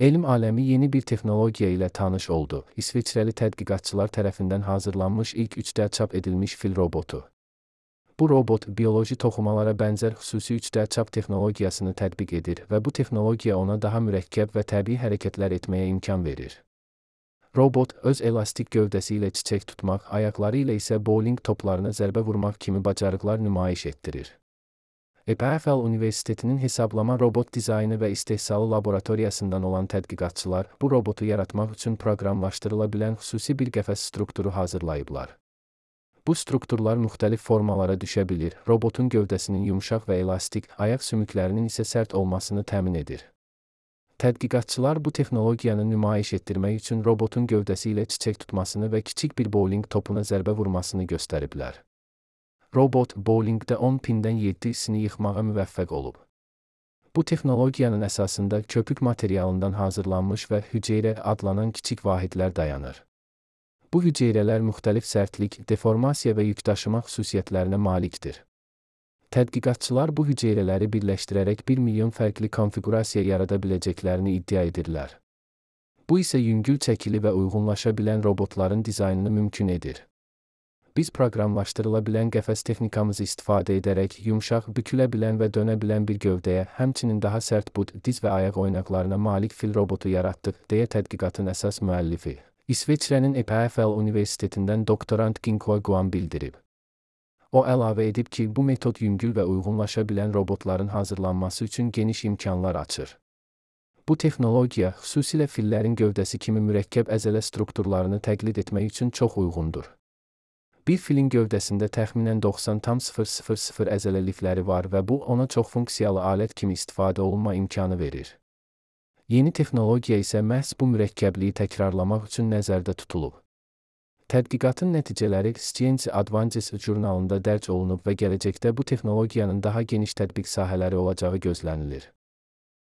Elm aləmi yeni bir texnologiya ilə tanış oldu. İsveçrəli tədqiqatçılar tərəfindən hazırlanmış ilk 3D çap edilmiş fil robotu. Bu robot, bioloji toxumalara bənzər xüsusi 3D çap texnologiyasını tətbiq edir və bu texnologiya ona daha mürəkkəb və təbii hərəkətlər etməyə imkan verir. Robot, öz elastik gövdəsi ilə çiçək tutmaq, ayaqları ilə isə bowling toplarına zərbə vurmaq kimi bacarıqlar nümayiş etdirir. EPFL Universitetinin hesablama robot dizaynı və istehsalı laboratoriyasından olan tədqiqatçılar bu robotu yaratmaq üçün proqramlaşdırıla bilən xüsusi bir qəfəs strukturu hazırlayıblar. Bu strukturlar müxtəlif formalara düşə bilir, robotun gövdəsinin yumşaq və elastik, ayaq sümüklərinin isə sərt olmasını təmin edir. Tədqiqatçılar bu texnologiyanı nümayiş etdirmək üçün robotun gövdəsi ilə çiçək tutmasını və kiçik bir bowling topuna zərbə vurmasını göstəriblər. Robot, bowlingdə 10 pindən 7-sini yıxmağa müvəffəq olub. Bu texnologiyanın əsasında köpük materialından hazırlanmış və hüceyrə adlanan kiçik vahidlər dayanır. Bu hüceyrələr müxtəlif sərtlik, deformasiya və yükdaşıma xüsusiyyətlərinə malikdir. Tədqiqatçılar bu hüceyrələri birləşdirərək 1 milyon fərqli konfiqurasiya yarada biləcəklərini iddia edirlər. Bu isə yüngül çəkili və uyğunlaşa bilən robotların dizaynını mümkün edir. Biz proqramlaşdırıla bilən qəfəs texnikamızı istifadə edərək yumşaq, bükülə bilən və dönə bilən bir gövdəyə, həmçinin daha sərt bud, diz və ayaq oynaqlarına malik fil robotu yaratdıq, deyə tədqiqatın əsas müəllifi, İsveçrənin EPFL Universitetindən doktorant Ginkwa Guan bildirib. O əlavə edib ki, bu metod yüngül və uyğunlaşa bilən robotların hazırlanması üçün geniş imkanlar açır. Bu texnologiya, xüsusilə fillərin gövdəsi kimi mürəkkəb əzələ strukturlarını təqlid etmək üçün çox uyğundur. Bir filin gövdəsində təxminən 90,000 əzələlikləri var və bu ona çox funksiyalı alət kimi istifadə olunma imkanı verir. Yeni texnologiya isə məhz bu mürəkkəbliyi təkrarlamaq üçün nəzərdə tutulub. Tədqiqatın nəticələri Science Advances jurnalında dərc olunub və gələcəkdə bu texnologiyanın daha geniş tətbiq sahələri olacağı gözlənilir.